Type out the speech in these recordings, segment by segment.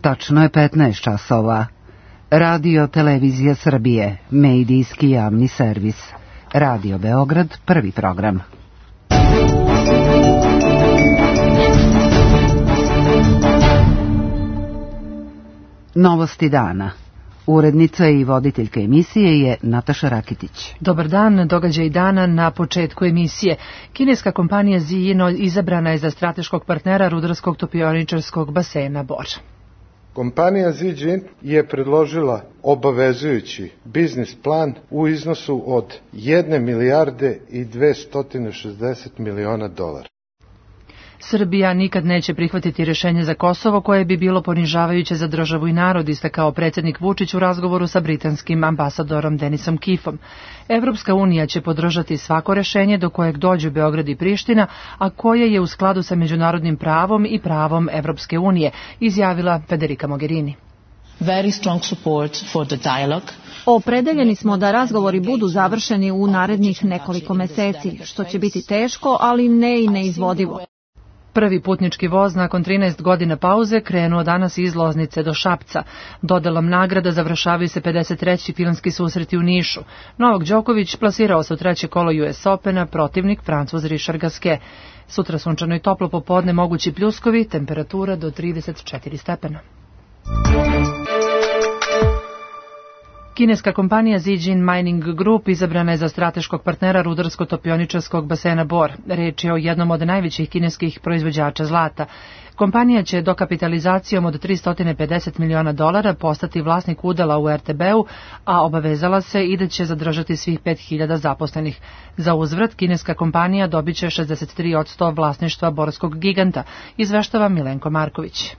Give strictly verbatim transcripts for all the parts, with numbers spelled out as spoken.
Tačno je petnaest časova. Radio Televizija Srbije, medijski javni servis. Radio Beograd, prvi program. Novosti dana. Urednica i voditeljka emisije je Nataša Rakitić. Dobar dan, događaj dana na početku emisije. Kineska kompanija Zijin izabrana je za strateškog partnera rudarskog topioničarskog basena Bor. Kompanija Zijin je predložila obavezujući biznis plan u iznosu od jedne milijarde i dvesta šezdeset miliona dolara. Srbija nikad neće prihvatiti rješenje za Kosovo koje bi bilo ponižavajuće za državu i narod, istakao predsjednik Vučić u razgovoru sa britanskim ambasadorom Denisom Kifom. Evropska unija će podržati svako rješenje do kojeg dođu Beograd i Priština, a koje je u skladu sa međunarodnim pravom i pravom Evropske unije, izjavila Federica Mogherini. Very strong support for the dialogue. Opredeljeni smo da razgovori budu završeni u narednih nekoliko meseci, što će biti teško, ali ne i neizvodivo. Prvi putnički voz nakon trinaest godina pauze krenuo danas iz Loznice do Šapca. Dodelom nagrada završavaju se pedeset treći filmski susreti u Nišu. Novak Đoković plasirao se u treće kolo U S Opena, protivnik Francuz Richard Gasquet. Sutra sunčano i toplo popodne, mogući pljuskovi, temperatura do trideset četiri stepena. Kineska kompanija Zijin Mining Group izabrana je za strateškog partnera rudarsko-topioničarskog basena Bor. Reč je o jednom od najvećih kineskih proizvođača zlata. Kompanija će dokapitalizacijom od tristo pedeset miliona dolara postati vlasnik udela u R T B-u, a obavezala se i da će zadržati svih pet hiljada zaposlenih. Za uzvrat, kineska kompanija dobit će šezdeset tri posto vlasništva borskog giganta, izveštava Milenko Marković.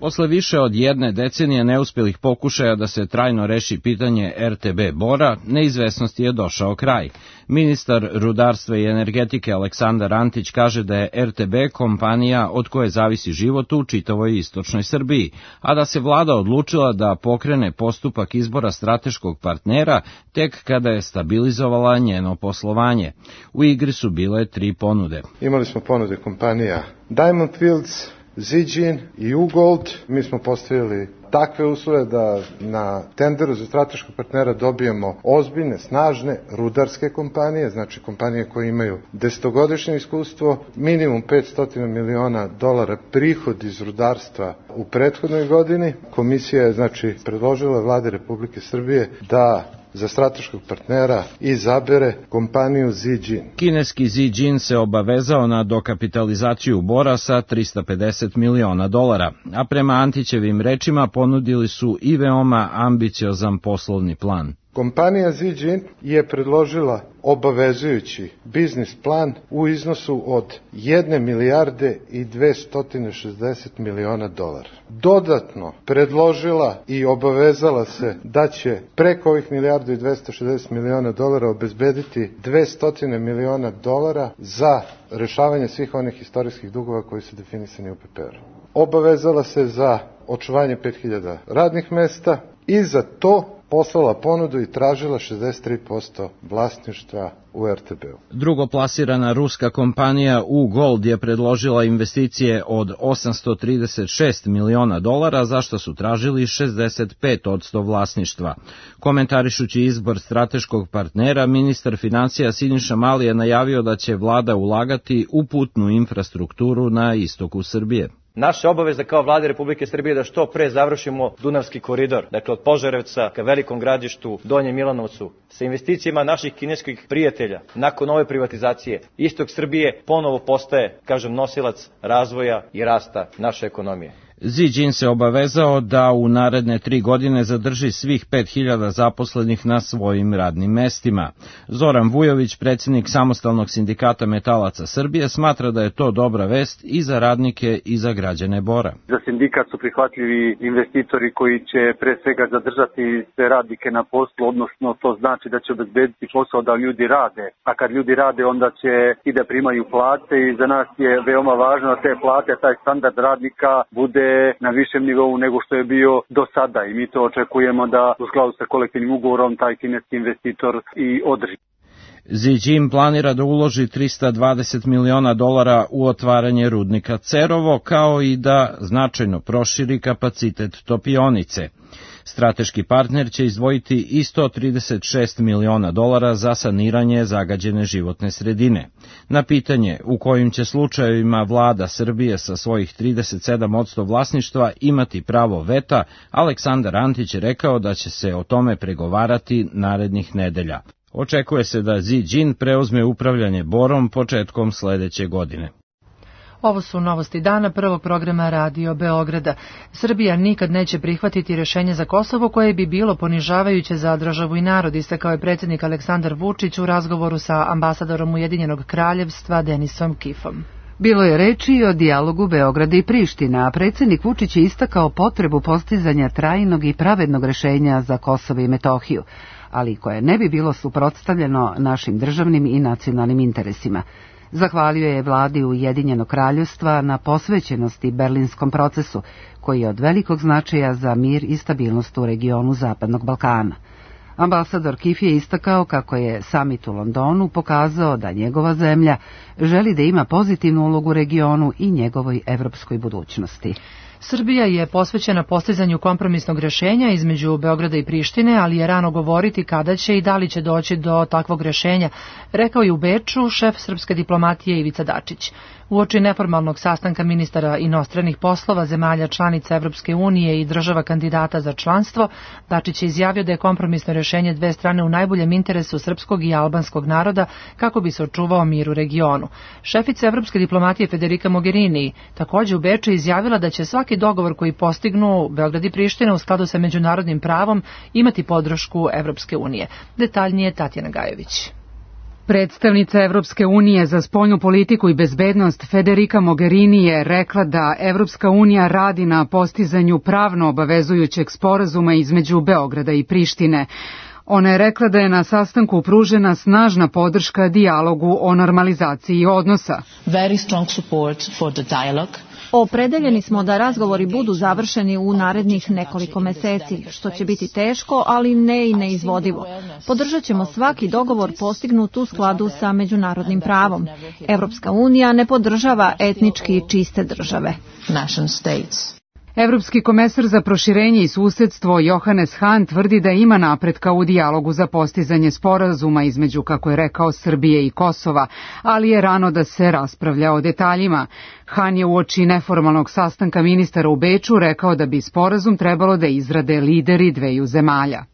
Posle više od jedne decenije neuspjelih pokušaja da se trajno reši pitanje R T B Bora, neizvesnosti je došao kraj. Ministar rudarstva i energetike Aleksandar Antić kaže da je R T B kompanija od koje zavisi život u čitavoj istočnoj Srbiji, a da se vlada odlučila da pokrene postupak izbora strateškog partnera tek kada je stabilizovala njeno poslovanje. U igri su bile tri ponude. Imali smo ponude kompanija Diamond Fields, Zijin i U-Gold. Mi smo postavili takve uslove da na tenderu za strateškog partnera dobijemo ozbiljne, snažne rudarske kompanije, znači kompanije koje imaju desetogodišnje iskustvo, minimum petsto miliona dolara prihod iz rudarstva u prethodnoj godini. Komisija je znači predložila Vladi Republike Srbije da za strateškog partnera izabere kompaniju Zijin. Kineski Zijin se obavezao na dokapitalizaciju Bora sa trista pedeset miliona dolara, a prema Antićevim rečima ponudili su i veoma ambiciozan poslovni plan. Kompanija Zijin je predložila obavezujući biznis plan u iznosu od jedne milijarde i dvesta šezdeset miliona dolara. Dodatno predložila i obavezala se da će preko ovih milijardu i dvesta šezdeset miliona dolara obezbediti dvesta miliona dolara za rešavanje svih onih istorijskih dugova koji su definisani u P P R. Obavezala se za očuvanje pet hiljada radnih mesta i za to poslala ponudu i tražila šezdeset tri posto vlasništva u R T B-u. Drugo plasirana ruska kompanija U-Gold je predložila investicije od osamsto trideset šest miliona dolara, za što su tražili šezdeset pet posto vlasništva. Komentarišući izbor strateškog partnera, ministar financija Siniša Mali je najavio da će vlada ulagati u putnu infrastrukturu na istoku Srbije. Naša obaveza kao Vlade Republike Srbije da što pre završimo Dunavski koridor, dakle od Požarevca ka Velikom Gradištu, Donjem Milanovcu, sa investicijama naših kineskih prijatelja. Nakon ove privatizacije, istok Srbije ponovo postaje, kažem, nosilac razvoja i rasta naše ekonomije. Zijin se obavezao da u naredne tri godine zadrži svih pet hiljada zaposlenih na svojim radnim mestima. Zoran Vujović, predsjednik Samostalnog sindikata metalaca Srbije, smatra da je to dobra vest i za radnike i za građane Bora. Za sindikat su prihvatljivi investitori koji će pre svega zadržati sve radnike na poslu, odnosno to znači da će obezbediti posao da ljudi rade, a kad ljudi rade onda će i da primaju plate i za nas je veoma važno da te plate, taj standard radnika bude na višem nivou nego što je bio do sada i mi to očekujemo da u skladu sa kolektivnim ugovorom taj kineski investitor i održi. Xi Jinping planira da uloži trista dvadeset miliona dolara u otvaranje rudnika Cerovo, kao i da značajno proširi kapacitet topionice. Strateški partner će izdvojiti i sto trideset šest miliona dolara za saniranje zagađene životne sredine. Na pitanje u kojim će slučajevima vlada Srbije sa svojih trideset sedam posto vlasništva imati pravo veta, Aleksandar Antić je rekao da će se o tome pregovarati narednih nedelja. Očekuje se da Xi Jinping preuzme upravljanje Borom početkom sledeće godine. Ovo su novosti dana prvog programa Radio Beograda. Srbija nikad neće prihvatiti rješenje za Kosovo koje bi bilo ponižavajuće za državu i narod, istakao je predsjednik Aleksandar Vučić u razgovoru sa ambasadorom Ujedinjenog kraljevstva Denisom Kifom. Bilo je reči i o dijalogu Beograda i Priština, a predsjednik Vučić je istakao potrebu postizanja trajnog i pravednog rješenja za Kosovo i Metohiju, ali koje ne bi bilo suprotstavljeno našim državnim i nacionalnim interesima. Zahvalio je vladi Ujedinjenog kraljevstva na posvećenosti berlinskom procesu, koji je od velikog značaja za mir i stabilnost u regionu Zapadnog Balkana. Ambasador Kif je istakao kako je samit u Londonu pokazao da njegova zemlja želi da ima pozitivnu ulogu u regionu i njegovoj evropskoj budućnosti. Srbija je posvećena postizanju kompromisnog rješenja između Beograda i Prištine, ali je rano govoriti kada će i da li će doći do takvog rješenja, rekao je u Beču šef srpske diplomatije Ivica Dačić. Uoči neformalnog sastanka ministara inostranih poslova zemalja članica Evropske unije i država kandidata za članstvo, Dačić je izjavio da je kompromisno rješenje dve strane u najboljem interesu srpskog i albanskog naroda kako bi se očuvao mir u regionu. Šefica Evropske diplomatije Federica Mogherini također u Beču izjavila da će svaki dogovor koji postignu Beograd i Priština u skladu sa međunarodnim pravom imati podršku Evropske unije. Detaljnije Tatjana Gajović. Predstavnica Evropske unije za spoljnu politiku i bezbednost Federica Mogherini je rekla da Evropska unija radi na postizanju pravno obavezujućeg sporazuma između Beograda i Prištine. Ona je rekla da je na sastanku pružena snažna podrška dijalogu o normalizaciji odnosa. Very strong support for the dialogue. Opredeljeni smo da razgovori budu završeni u narednih nekoliko meseci, što će biti teško, ali ne i neizvodivo. Podržat ćemo svaki dogovor postignut u skladu sa međunarodnim pravom. Evropska unija ne podržava etnički čiste države. Nation states. Evropski komesar za proširenje i susedstvo Johannes Hahn tvrdi da ima napretka u dijalogu za postizanje sporazuma između, kako je rekao, Srbije i Kosova, ali je rano da se raspravlja o detaljima. Hahn je uoči neformalnog sastanka ministara u Beču rekao da bi sporazum trebalo da izrade lideri dveju zemalja.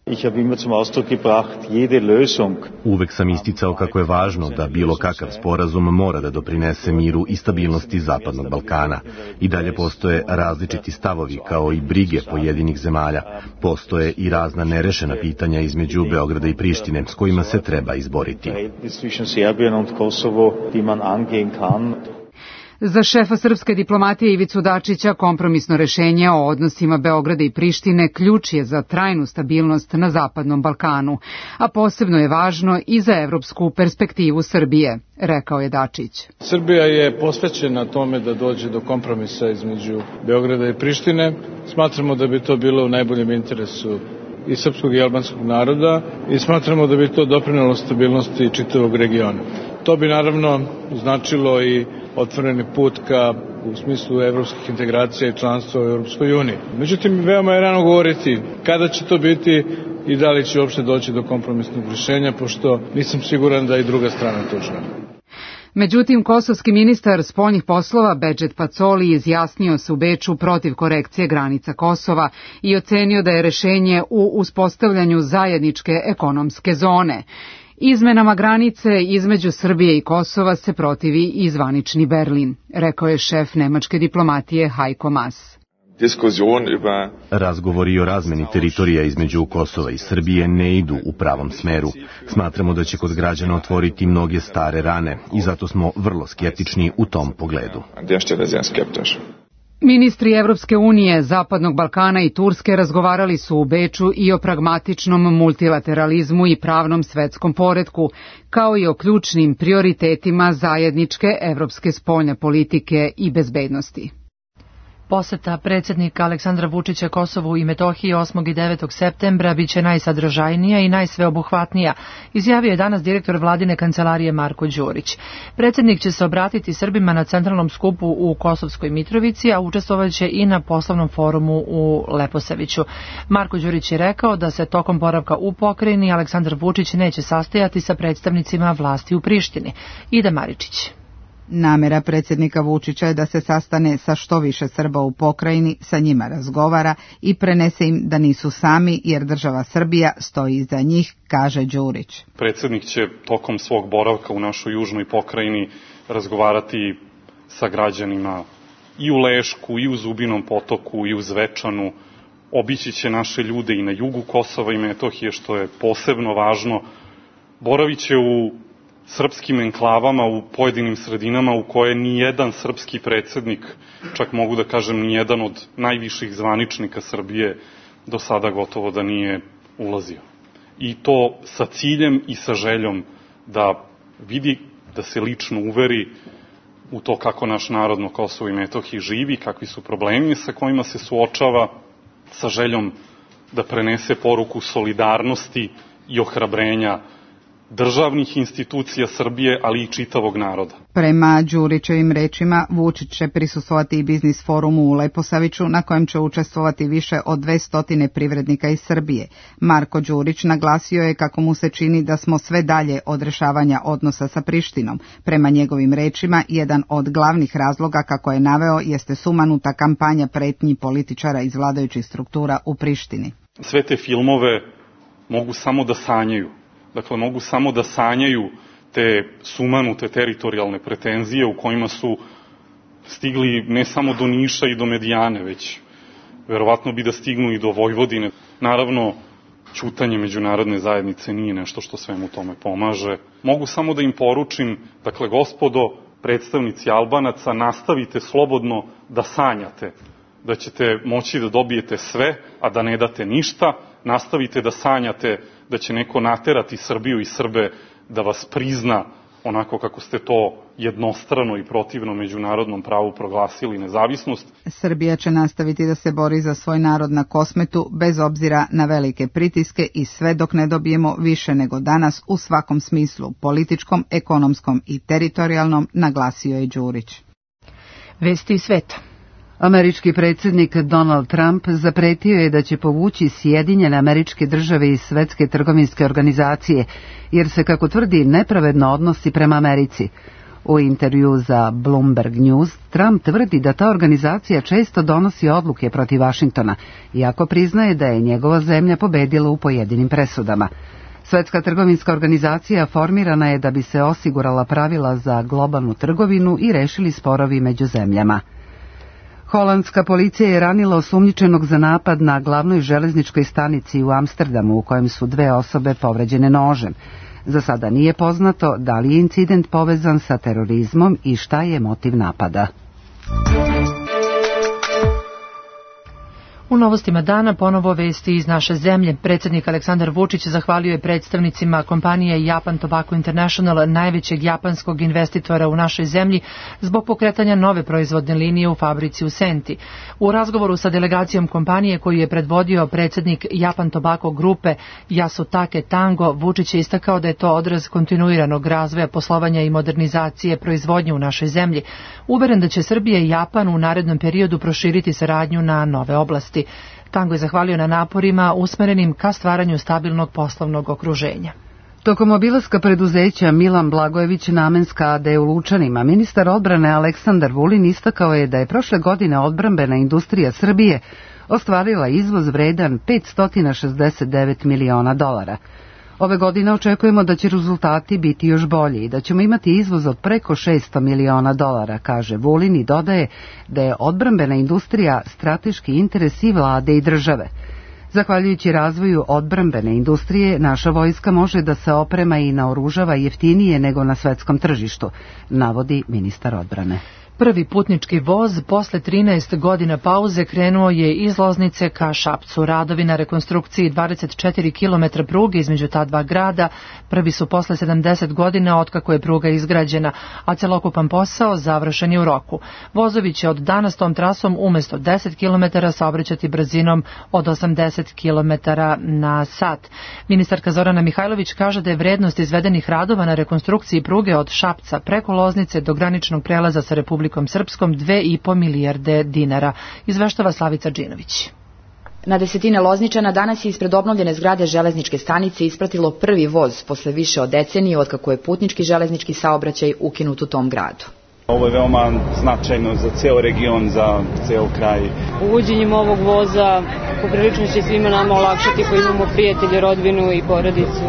Uvek sam isticao kako je važno da bilo kakav sporazum mora da doprinese miru i stabilnosti Zapadnog Balkana. I dalje postoje različiti stavovi kao i brige pojedinih zemalja. Postoje i razna nerešena pitanja između Beograda i Prištine s kojima se treba izboriti. Za šefa srpske diplomatije Ivicu Dačića kompromisno rešenje o odnosima Beograda i Prištine ključ je za trajnu stabilnost na Zapadnom Balkanu, a posebno je važno i za evropsku perspektivu Srbije, rekao je Dačić. Srbija je posvećena tome da dođe do kompromisa između Beograda i Prištine. Smatramo da bi to bilo u najboljem interesu i srpskog i albanskog naroda i smatramo da bi to doprinelo stabilnosti čitavog regiona. To bi naravno značilo i otvoreni put ka u smislu evropskih integracija i članstva u Europskoj uniji. Međutim, veoma je rano govoriti kada će to biti i da li će uopšte doći do kompromisnog rješenja, pošto nisam siguran da i druga strana to želi. Međutim, kosovski ministar spoljnih poslova Bedžet Pacoli izjasnio se u Beču protiv korekcije granica Kosova i ocenio da je rešenje u uspostavljanju zajedničke ekonomske zone. Izmenama granice između Srbije i Kosova se protivi i zvanični Berlin, rekao je šef nemačke diplomatije Heiko Maas. Razgovori o razmeni teritorija između Kosova i Srbije ne idu u pravom smeru. Smatramo da će kod građana otvoriti mnoge stare rane i zato smo vrlo skeptični u tom pogledu. Ministri Evropske unije, Zapadnog Balkana i Turske razgovarali su u Beču i o pragmatičnom multilateralizmu i pravnom svetskom poretku, kao i o ključnim prioritetima zajedničke evropske spoljne politike i bezbednosti. Poseta predsjednika Aleksandra Vučića Kosovu i Metohiji osmog i devetog septembra biće najsadržajnija i najsveobuhvatnija, izjavio je danas direktor vladine kancelarije Marko Đurić. Predsjednik će se obratiti Srbima na centralnom skupu u Kosovskoj Mitrovici, a učestvovaće i na poslovnom forumu u Leposaviću. Marko Đurić je rekao da se tokom boravka u pokrajini Aleksandar Vučić neće sastajati sa predstavnicima vlasti u Prištini. Ida Maričić. Namera predsjednika Vučića je da se sastane sa što više Srba u pokrajini, sa njima razgovara i prenese im da nisu sami jer država Srbija stoji iza njih, kaže Đurić. Predsjednik će tokom svog boravka u našoj južnoj pokrajini razgovarati sa građanima i u Lešku, i u Zubinom Potoku, i u Zvečanu. Obići će naše ljude i na jugu Kosova i Metohije, što je posebno važno. Boravit će u srpskim enklavama u pojedinim sredinama u koje nijedan srpski predsjednik, čak mogu da kažem nijedan od najviših zvaničnika Srbije do sada gotovo da nije ulazio. I to sa ciljem i sa željom da vidi, da se lično uveri u to kako naš narod na Kosovu i Metohiji živi, kakvi su problemi sa kojima se suočava, sa željom da prenese poruku solidarnosti i ohrabrenja državnih institucija Srbije, ali i čitavog naroda. Prema Đurićevim rečima, Vučić će prisustvovati i biznis forumu u Leposaviću, na kojem će učestvovati više od dvesta privrednika iz Srbije. Marko Đurić naglasio je kako mu se čini da smo sve dalje od rešavanja odnosa sa Prištinom. Prema njegovim rečima, jedan od glavnih razloga, kako je naveo, jeste sumanuta kampanja pretnji političara iz vladajućih struktura u Prištini. Sve te filmove mogu samo da sanjaju. Dakle, mogu samo da sanjaju te sumanute teritorijalne pretenzije u kojima su stigli ne samo do Niša i do Medijane, već verovatno bi da stignu i do Vojvodine. Naravno, ćutanje međunarodne zajednice nije nešto što svemu tome pomaže. Mogu samo da im poručim, dakle, gospodo, predstavnici Albanaca, nastavite slobodno da sanjate, da ćete moći da dobijete sve, a da ne date ništa. Nastavite da sanjate da će neko naterati Srbiju i Srbe da vas prizna onako kako ste to jednostrano i protivno međunarodnom pravu proglasili nezavisnost. Srbija će nastaviti da se bori za svoj narod na Kosmetu bez obzira na velike pritiske i sve dok ne dobijemo više nego danas u svakom smislu, političkom, ekonomskom i teritorijalnom, naglasio je Đurić. Vesti sveta. Američki predsjednik Donald Trump zapretio je da će povući Sjedinjene Američke Države iz Svetske trgovinske organizacije, jer se, kako tvrdi, nepravedno odnosi prema Americi. U intervju za Bloomberg News, Trump tvrdi da ta organizacija često donosi odluke protiv Vašingtona, iako priznaje da je njegova zemlja pobedila u pojedinim presudama. Svetska trgovinska organizacija formirana je da bi se osigurala pravila za globalnu trgovinu i rešili sporovi među zemljama. Holandska policija je ranila osumnjičenog za napad na glavnoj železničkoj stanici u Amsterdamu, u kojem su dve osobe povređene nožem. Za sada nije poznato da li je incident povezan sa terorizmom i šta je motiv napada. U novostima dana ponovo vesti iz naše zemlje. Predsjednik Aleksandar Vučić zahvalio je predstavnicima kompanije Japan Tobacco International, najvećeg japanskog investitora u našoj zemlji, zbog pokretanja nove proizvodne linije u fabrici u Senti. U razgovoru sa delegacijom kompanije koju je predvodio predsjednik Japan Tobacco grupe Yasutake Tango, Vučić je istakao da je to odraz kontinuiranog razvoja poslovanja i modernizacije proizvodnje u našoj zemlji. Uveren da će Srbija i Japan u narednom periodu proširiti saradnju na nove oblasti. Tango je zahvalio na naporima usmerenim ka stvaranju stabilnog poslovnog okruženja. Tokom obilaska preduzeća Milan Blagojević Namenska a d u Lučanima, ministar odbrane Aleksandar Vulin istakao je da je prošle godine odbrambena industrija Srbije ostvarila izvoz vredan petsto šezdeset devet miliona dolara. Ove godine očekujemo da će rezultati biti još bolji i da ćemo imati izvoz od preko šesto miliona dolara, kaže Vulin i dodaje da je odbrambena industrija strateški interes i vlade i države. Zahvaljujući razvoju odbrambene industrije, naša vojska može da se oprema i naoružava jeftinije nego na svetskom tržištu, navodi ministar odbrane. Prvi putnički voz posle trinaest godina pauze krenuo je iz Loznice ka Šapcu. Radovi na rekonstrukciji dvadeset četiri kilometra pruge između ta dva grada prvi su posle sedamdeset godina otkako je pruga izgrađena, a celokupan posao završen je u roku. Vozovi će od danas tom trasom umesto deset kilometara saobraćati brzinom od osamdeset kilometara na sat. Ministarka Zorana Mihajlović kaže da je vrednost izvedenih radova na rekonstrukciji pruge od Šapca preko Loznice do graničnog prelaza sa Republikom Srpskom dve i po milijarde dinara, izveštava Slavica Džinović. Na desetine Lozničana danas je ispred obnovljene zgrade železničke stanice ispratilo prvi voz posle više od decenije otkako je putnički železnički saobraćaj ukinut u tom gradu. Ovo je veoma značajno za ceo region, za ceo kraj. Uvođenjem ovog voza poprilično će svima nama olakšati koji imamo prijatelje, rodbinu i porodicu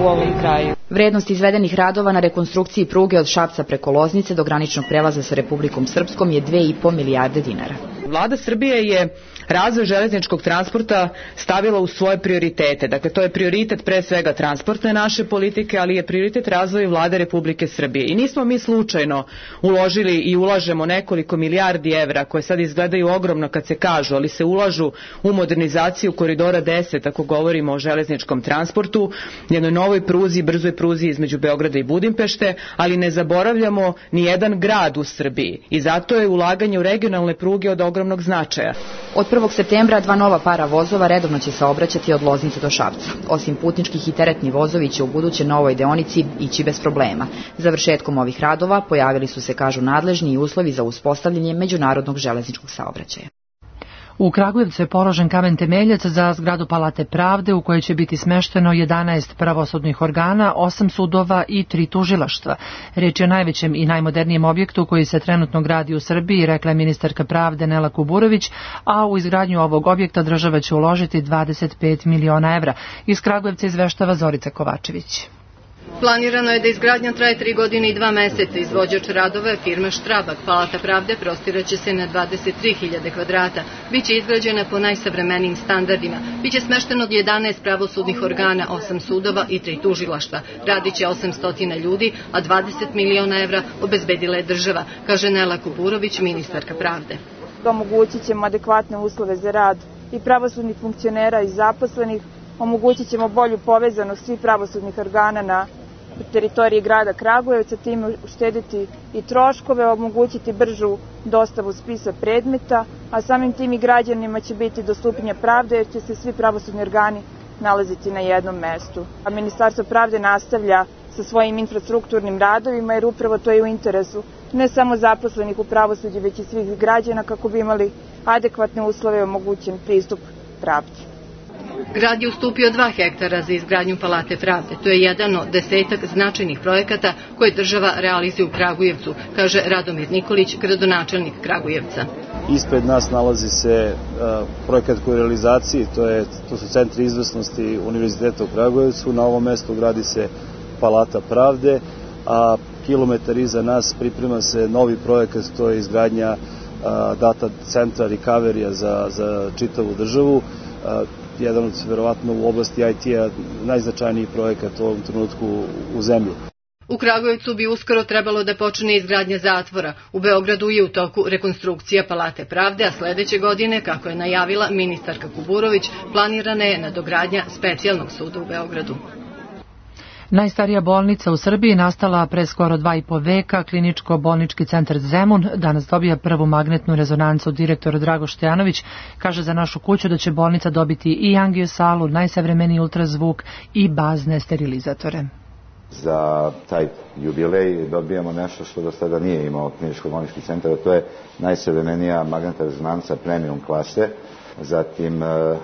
u ovom kraju. Vrednost izvedenih radova na rekonstrukciji pruge od Šapca preko Loznice do graničnog prelaza sa Republikom Srpskom je dve i po milijarde dinara. Vlada Srbije je razvoj železničkog transporta stavila u svoje prioritete. Dakle, to je prioritet pre svega transportne naše politike, ali je prioritet razvoja Vlade Republike Srbije. I nismo mi slučajno uložili i ulažemo nekoliko milijardi evra, koje sad izgledaju ogromno kad se kažu, ali se ulažu u modernizaciju koridora deset, ako govorimo o železničkom transportu, jednoj novoj pruzi, brzoj pruzi između Beograda i Budimpešte, ali ne zaboravljamo ni jedan grad u Srbiji. I zato je ulaganje u regionalne pruge od ogromnog značaja. Od prvog septembra dva nova para vozova redovno će se obraćati od Loznice do Šapca. Osim putničkih i teretni vozovi će u buduće na ovoj deonici ići bez problema. Završetkom ovih radova pojavili su se, kažu nadležni, i uslovi za uspostavljanje međunarodnog železničkog saobraćaja. U Kragujevcu je položen kamen temeljac za zgradu Palate pravde u kojoj će biti smešteno jedanaest pravosudnih organa, osam sudova i tri tužilaštva. Reč je o najvećem i najmodernijem objektu koji se trenutno gradi u Srbiji, rekla je ministarka pravde Nela Kuburović, a u izgradnju ovog objekta država će uložiti dvadeset pet miliona evra. Iz Kragujevca izveštava Zorica Kovačević. Planirano je da izgradnja traje tri godine i dva meseca. Izvođač radova je firma Štrabak. Palata pravde prostiraće se na dvadeset tri hiljade kvadrata. Biće izgrađena po najsavremenijim standardima. Biće smešteno jedanaest pravosudnih organa, osam sudova i tri tužilaštva. Radiće osamsto ljudi, a dvadeset miliona evra obezbedila je država, kaže Nela Kuburović, ministarka pravde. Omogućit ćemo adekvatne uslove za rad i pravosudnih funkcionera i zaposlenih, omogućit ćemo bolju povezanost svih pravosudnih organa na teritoriji grada Kragujevca, time uštediti i troškove, omogućiti bržu dostavu spisa predmeta, a samim tim i građanima će biti dostupnija pravda jer će se svi pravosudni organi nalaziti na jednom mestu. A Ministarstvo pravde nastavlja sa svojim infrastrukturnim radovima jer upravo to je u interesu ne samo zaposlenih u pravosuđu, već i svih građana kako bi imali adekvatne uslove i omogućen pristup pravdi. Grad je ustupio dva hektara za izgradnju Palate pravde. To je jedan od desetak značajnih projekata koje država realizuje u Kragujevcu, kaže Radomir Nikolić, gradonačelnik Kragujevca. Ispred nas nalazi se uh, projekat koji je u realizaciji, to, je, to su centri izvrsnosti Univerziteta u Kragujevcu. Na ovom mestu gradi se Palata pravde, a kilometar iza nas priprema se novi projekat, to je izgradnja uh, data centra recovery za, za čitavu državu. Uh, jedan od, verovatno, u oblasti I T-a najznačajniji projekat u ovom trenutku u zemlji. U Kragujevcu bi uskoro trebalo da počne izgradnja zatvora. U Beogradu je u toku rekonstrukcija Palate pravde, a sledeće godine, kako je najavila ministarka Kuburović, planirana je nadogradnja specijalnog suda u Beogradu. Najstarija bolnica u Srbiji, nastala pre skoro dva i po veka, kliničko-bolnički centar Zemun, danas dobija prvu magnetnu rezonancu. Direktor Drago Štojanović kaže za našu kuću da će bolnica dobiti i angiosalu, najsavremeniji ultrazvuk i bazne sterilizatore. Za taj jubilej dobijamo nešto što do sada nije imao kliničko-bolnički centar, a to je najsavremenija magnetna rezonanca premium klase. Zatim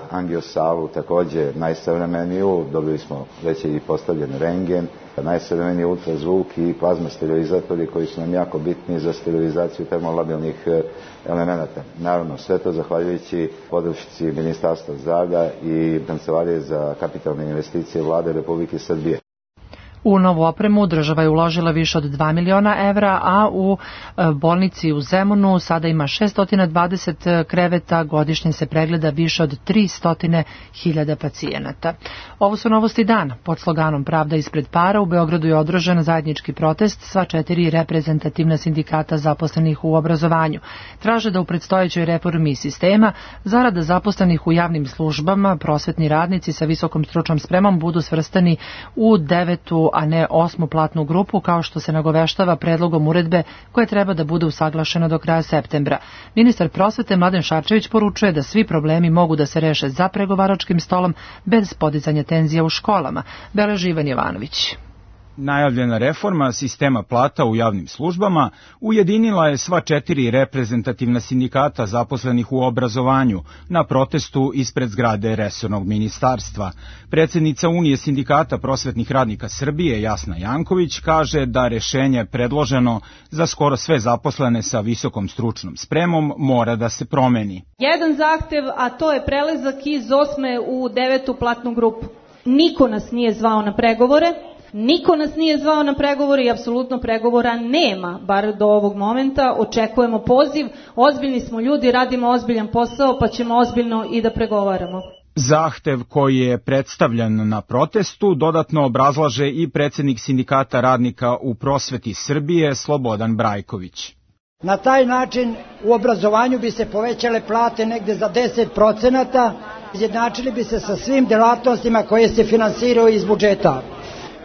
angiosalu takođe najsavremeniju, dobili smo već i postavljen rengen, najsavremeniji ultrazvuk i plazma sterilizatori koji su nam jako bitni za sterilizaciju termolabilnih elemenata. Naravno, sve to zahvaljujući podršci Ministarstva zdravlja i Kancelarije za kapitalne investicije Vlade Republike Srbije. U novu opremu država je uložila više od dva miliona evra, a u bolnici u Zemunu sada ima šesto dvadeset kreveta, godišnje se pregleda više od tristo hiljada pacijenata. Ovo su novosti dana. Pod sloganom Pravda ispred para u Beogradu je održan zajednički protest sva četiri reprezentativna sindikata zaposlenih u obrazovanju. Traže da u predstojećoj reformi sistema zarada zaposlenih u javnim službama prosvetni radnici sa visokom stručnom spremom budu svrstani u devetu, a ne osmu platnu grupu, kao što se nagoveštava predlogom uredbe koja treba da bude usaglašena do kraja septembra. Ministar prosvete Mladen Šarčević poručuje da svi problemi mogu da se reše za pregovaračkim stolom bez podizanja tenzija u školama. Beleži Ivan Jovanović. Najavljena reforma sistema plata u javnim službama ujedinila je sva četiri reprezentativna sindikata zaposlenih u obrazovanju na protestu ispred zgrade resornog ministarstva. Predsjednica Unije sindikata prosvetnih radnika Srbije Jasna Janković kaže da rešenje predloženo za skoro sve zaposlene sa visokom stručnom spremom mora da se promeni. Jedan zahtev, a to je prelazak iz osme u devetu platnu grupu. Niko nas nije zvao na pregovore. Niko nas nije zvao na pregovore i apsolutno pregovora nema, bar do ovog momenta. Očekujemo poziv, ozbiljni smo ljudi, radimo ozbiljan posao, pa ćemo ozbiljno i da pregovaramo. Zahtev koji je predstavljen na protestu dodatno obrazlaže i predsjednik sindikata radnika u prosveti Srbije Slobodan Brajković. Na taj način u obrazovanju bi se povećale plate negde za deset procenata, izjednačili bi se sa svim delatnostima koje se finansiraju iz budžeta.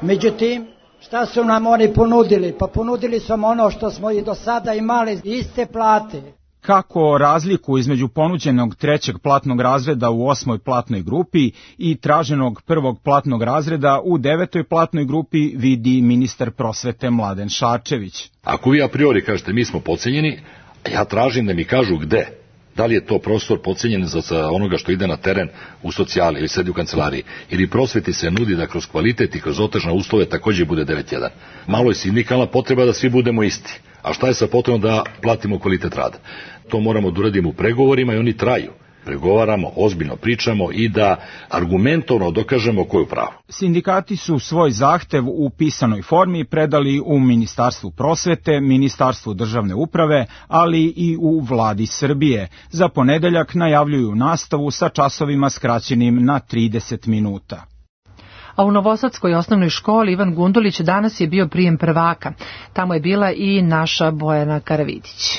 Međutim, šta su nam oni ponudili? Pa ponudili su ono što smo i do sada imali, iste plate. Kako razliku između ponuđenog trećeg platnog razreda u osmoj platnoj grupi i traženog prvog platnog razreda u devetoj platnoj grupi vidi ministar prosvete Mladen Šarčević. Ako vi a priori kažete mi smo podcenjeni, ja tražim da mi kažu gde. Da li je to prostor podcenjen za onoga što ide na teren u socijali ili sedi u kancelariji, ili prosveti se nudi da kroz kvalitet i kroz otežne uslove također bude devet jedan. Malo je sindikalna potreba da svi budemo isti. A šta je sa potrebom da platimo kvalitet rada? To moramo da uradimo u pregovorima i oni traju. Pregovaramo, ozbiljno pričamo i da argumentovno dokažemo ko je u pravu. Sindikati su svoj zahtev u pisanoj formi predali u Ministarstvu prosvete, Ministarstvu državne uprave, ali i u Vladi Srbije. Za ponedeljak najavljuju nastavu sa časovima skraćenim na trideset minuta. A u Novosadskoj osnovnoj školi Ivan Gundulić danas je bio prijem prvaka. Tamo je bila i naša Bojana Karavidić.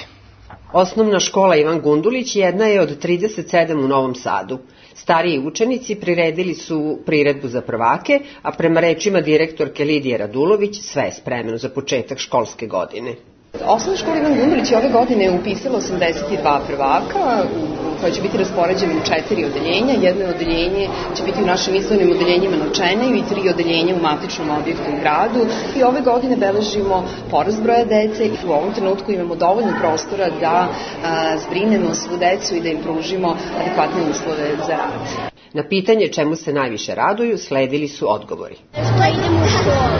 Osnovna škola Ivan Gundulić jedna je od trideset sedam u Novom Sadu. Stariji učenici priredili su priredbu za prvake, a prema rečima direktorke Lidije Radulović sve je spremno za početak školske godine. Osnovna škola Ivan Gundulić je ove godine upisala osamdeset dva prvaka koja će biti raspoređena u četiri odeljenja. Jedno odeljenje će biti u našim izdvojnim odeljenjima na Čeneju i tri odeljenja u matičnom objektu u gradu. I ove godine beležimo porast broja dece i u ovom trenutku imamo dovoljno prostora da a, zbrinemo svu decu i da im pružimo adekvatne uslove za rad. Na pitanje čemu se najviše raduju sledili su odgovori. Što idemo u školu.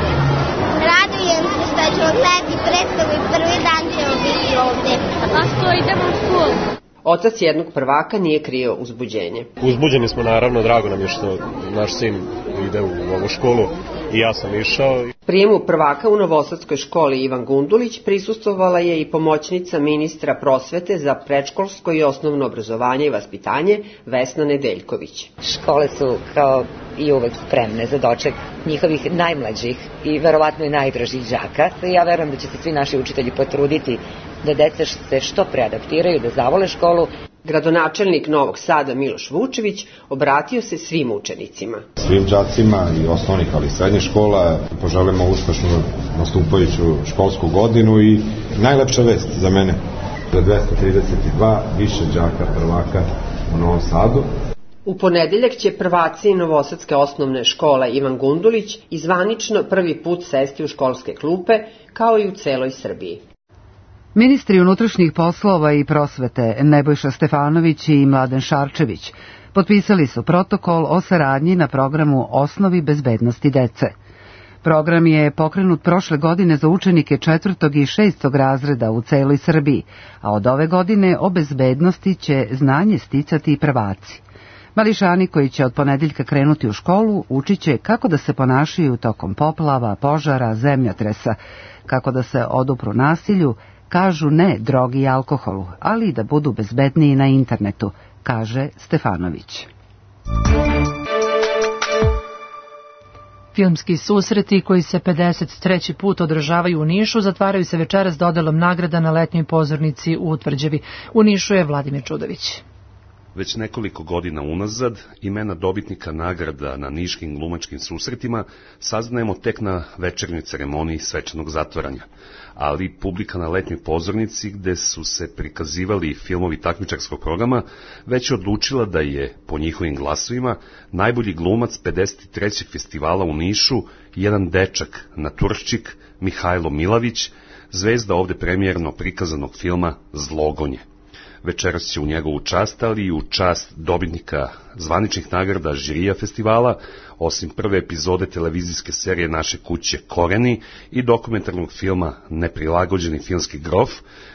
Radujem se što ćemo gledati predstavu i prvi dan ćemo biti ovde. A što idemo u školu? Otac jednog prvaka nije krio uzbuđenje. Uzbuđeni smo, naravno, drago nam je što naš sin ide u ovu školu i ja sam išao. Prijemu prvaka u Novosadskoj školi Ivan Gundulić prisustvovala je i pomoćnica ministra prosvete za predškolsko i osnovno obrazovanje i vaspitanje Vesna Nedeljković. Škole su kao i uvek spremne za doček njihovih najmlađih i verovatno i najdražih đaka. Ja verujem da će se svi naši učitelji potruditi da deca se što pre adaptiraju, da zavole školu. Gradonačelnik Novog Sada Miloš Vučević obratio se svim učenicima. Svim đacima i osnovnih, ali i srednjih škola poželimo uspešnu nastupajuću školsku godinu i najlepša vest za mene za dvesta trideset dva više đaka prvaka u Novom Sadu. U ponedeljak će prvaci Novosadske osnovne škole Ivan Gundulić izvanično prvi put sesti u školske klupe, kao i u celoj Srbiji. Ministri unutrašnjih poslova i prosvete Nebojša Stefanović i Mladen Šarčević potpisali su protokol o saradnji na programu Osnovi bezbednosti dece. Program je pokrenut prošle godine za učenike četvrtog i šestog razreda u celoj Srbiji, a od ove godine o bezbednosti će znanje sticati i prvaci. Mališani koji će od ponedeljka krenuti u školu učit će kako da se ponašaju tokom poplava, požara, zemljotresa, kako da se odupru nasilju, kažu ne drogi i alkoholu, ali i da budu bezbedniji na internetu, kaže Stefanović. Filmski susreti koji se pedeset treći put održavaju u Nišu zatvaraju se večeras dodelom nagrada na letnjoj pozornici u Tvrđevi. U Nišu je Vladimir Čudović. Već nekoliko godina unazad imena dobitnika nagrada na niškim glumačkim susretima saznajemo tek na večernjoj ceremoniji svečanog zatvaranja, ali publika na letnjoj pozornici gde su se prikazivali filmovi takmičarskog programa već je odlučila da je, po njihovim glasovima, najbolji glumac pedeset trećeg festivala u Nišu jedan dečak, naturščik Mihajlo Milavić, zvezda ovde premijerno prikazanog filma Zlogonje. Večeras će u njegovu čast, ali i u čast dobitnika zvaničnih nagrada žirija festivala, osim prve epizode televizijske serije Naše kuće Koreni i dokumentarnog filma Neprilagođeni filmski grof,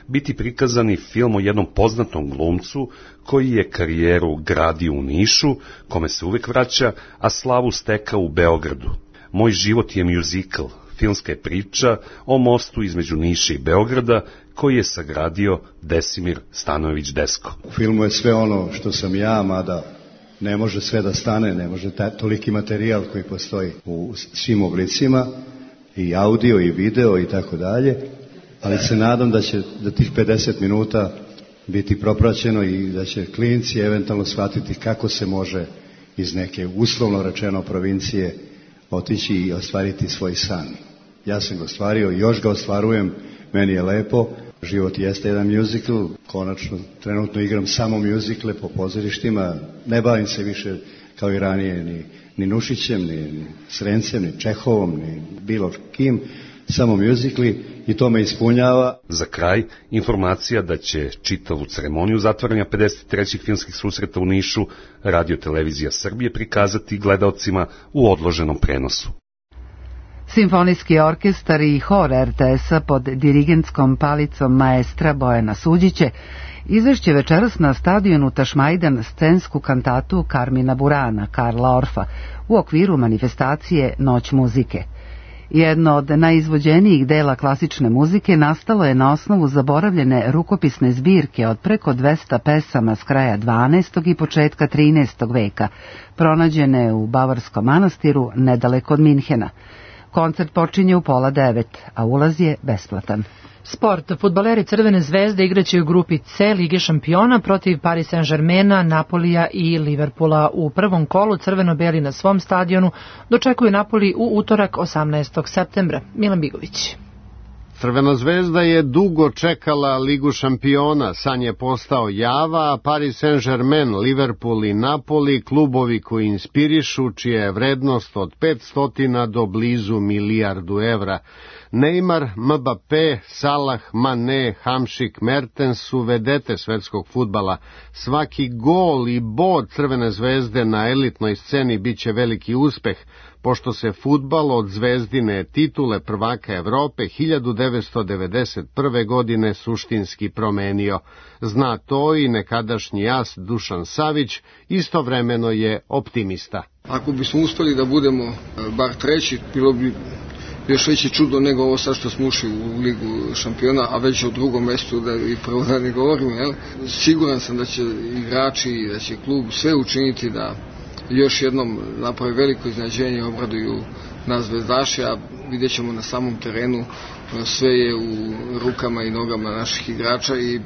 biti prikazani film o jednom poznatom glumcu koji je karijeru gradio u Nišu, kome se uvek vraća, a slavu stekao u Beogradu. Moj život je mjuzikl, filmska je priča o mostu između Niša i Beograda, koji je sagradio Desimir Stanojević Desko. U filmu je sve ono što sam ja, mada ne može sve da stane, ne može taj, toliki materijal koji postoji u svim oblicima, i audio i video i tako dalje, ali se nadam da će da tih pedeset minuta biti propraćeno i da će klinci eventualno shvatiti kako se može iz neke uslovno rečeno provincije otići i ostvariti svoj san. Ja sam ga ostvario i još ga ostvarujem, meni je lepo, život jeste jedan mjuzikl, konačno trenutno igram samo mjuzikle po pozorištima, ne bavim se više kao i ranije ni, ni Nušićem, ni, ni Srencem, ni Čehovom, ni bilo kim, samo mjuzikli i to me ispunjava. Za kraj, informacija da će čitavu ceremoniju zatvaranja pedeset trećih filmskih susreta u Nišu Radio Televizija Srbije prikazati gledaocima u odloženom prenosu. Simfonijski orkestar i hor er te es-a pod dirigentskom palicom maestra Bojana Suđiće izvešće večeras na stadionu Tašmajdan scensku kantatu Karmina Burana, Karla Orfa, u okviru manifestacije Noć muzike. Jedno od najizvođenijih dela klasične muzike nastalo je na osnovu zaboravljene rukopisne zbirke od preko dvesta pesama s kraja dvanaestog i početka trinaestog veka, pronađene u Bavarskom manastiru nedaleko od Minhena. Koncert počinje u pola devet, a ulaz je besplatan. Sport. Fudbaleri Crvene zvezde igraće u grupi C Lige šampiona protiv Paris Saint-Germaina, Napolija i Liverpoola. U prvom kolu crveno-beli na svom stadionu dočekuju Napoli u utorak osamnaestog septembra. Milan Bigović. Crvena zvezda je dugo čekala Ligu šampiona, san je postao java, a Paris Saint-Germain, Liverpool i Napoli, klubovi koji inspirišu, čija je vrednost od petsto do blizu milijardu evra. Neymar, Mbappé, Salah, Mané, Hamšik, Mertens su vedete svetskog fudbala. Svaki gol i bod Crvene zvezde na elitnoj sceni biće veliki uspeh, pošto se fudbal od zvezdine titule prvaka Evrope hiljadu devetsto devedeset prve. godine suštinski promenio. Zna to i nekadašnji as Dušan Savić, istovremeno je optimista. Ako bismo uspeli da budemo bar treći, bilo bi još veće čudo nego ovo sad što smo ušli u Ligu šampiona, a već u drugom mestu, da i prvo da ne govorimo, jel? Siguran sam da će igrači i da će klub sve učiniti da još jednom naprave veliko iznenađenje i obraduju nas zvezdaše, a vidjet ćemo na samom terenu, sve je u rukama i nogama naših igrača i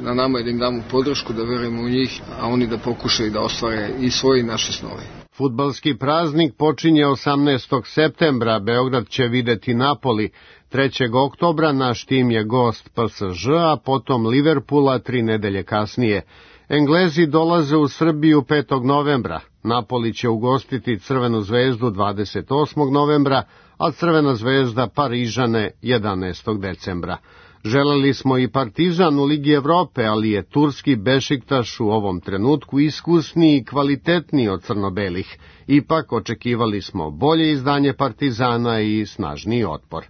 na nama je da im damo podršku, da verujemo u njih, a oni da pokušaju da ostvare i svoje i naše snove. Fudbalski praznik počinje osamnaestog septembra, Beograd će videti Napoli. trećeg oktobra naš tim je gost P S Ž, a potom Liverpoola tri nedelje kasnije. Englezi dolaze u Srbiju petog novembra, Napoli će ugostiti Crvenu zvezdu dvadeset osmog novembra, a Crvena zvezda Parižane jedanaestog decembra. Želeli smo i Partizan u Ligi Evrope, ali je turski Bešiktaš u ovom trenutku iskusniji i kvalitetniji od crno-belih. Ipak očekivali smo bolje izdanje Partizana i snažniji otpor.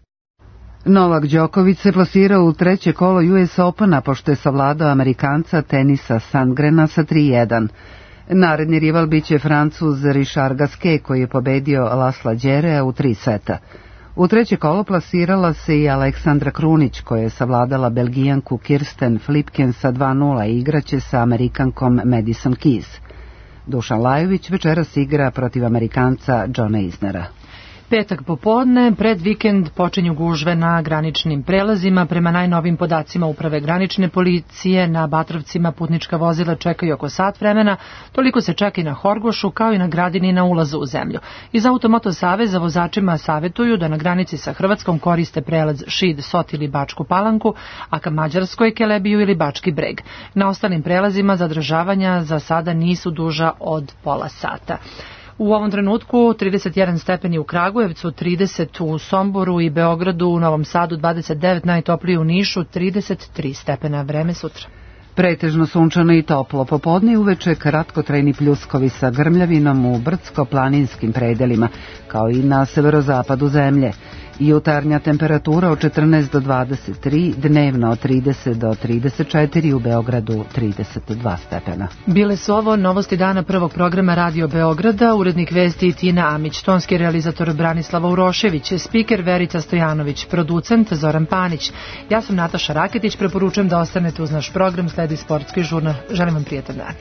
Novak Đoković se plasirao u treće kolo U S Opena pošto je savladao Amerikanca Tenisa Sandgrena sa tri jedan. Naredni rival biće Francuz Richard Gasquet koji je pobedio Lasla Đerea u tri seta. U treće kolo plasirala se i Aleksandra Krunić koja je savladala Belgijanku Kirsten Flipken sa dva nula i igraće sa Amerikankom Madison Keys. Dušan Lajović večeras igra protiv Amerikanca Johna Isnera. Petak popodne, pred vikend počinju gužve na graničnim prelazima. Prema najnovim podacima Uprave granične policije, na Batrovcima putnička vozila čekaju oko sat vremena, toliko se čeka i na Horgošu kao i na Gradini na ulazu u zemlju. Iz Automoto saveza vozačima savetuju da na granici sa Hrvatskom koriste prelaz Šid, Sot ili Bačku Palanku, a ka Mađarskoj Kelebiju ili Bački Breg. Na ostalim prelazima zadržavanja za sada nisu duža od pola sata. U ovom trenutku trideset jedan stepeni u Kragujevcu, trideset u Somboru i Beogradu, u Novom Sadu dvadeset devet, najtoplije u Nišu, trideset tri stepena. Vreme sutra. Pretežno sunčano i toplo, popodne i uveče kratkotrajni pljuskovi sa grmljavinom u brdsko-planinskim predelima, kao i na severozapadu zemlje. Jutarnja temperatura od četrnaest do dvadeset tri, dnevno od trideset do trideset četiri, u Beogradu trideset dva stepena. Bile su ovo novosti dana prvog programa Radio Beograda, urednik vesti Tina Amić, tonski realizator Branislava Urošević, spiker Verica Stojanović, producent Zoran Panić. Ja sam Nataša Raketić, preporučujem da ostanete uz naš program, sledi sportski žurnal. Želim vam prijetan dan.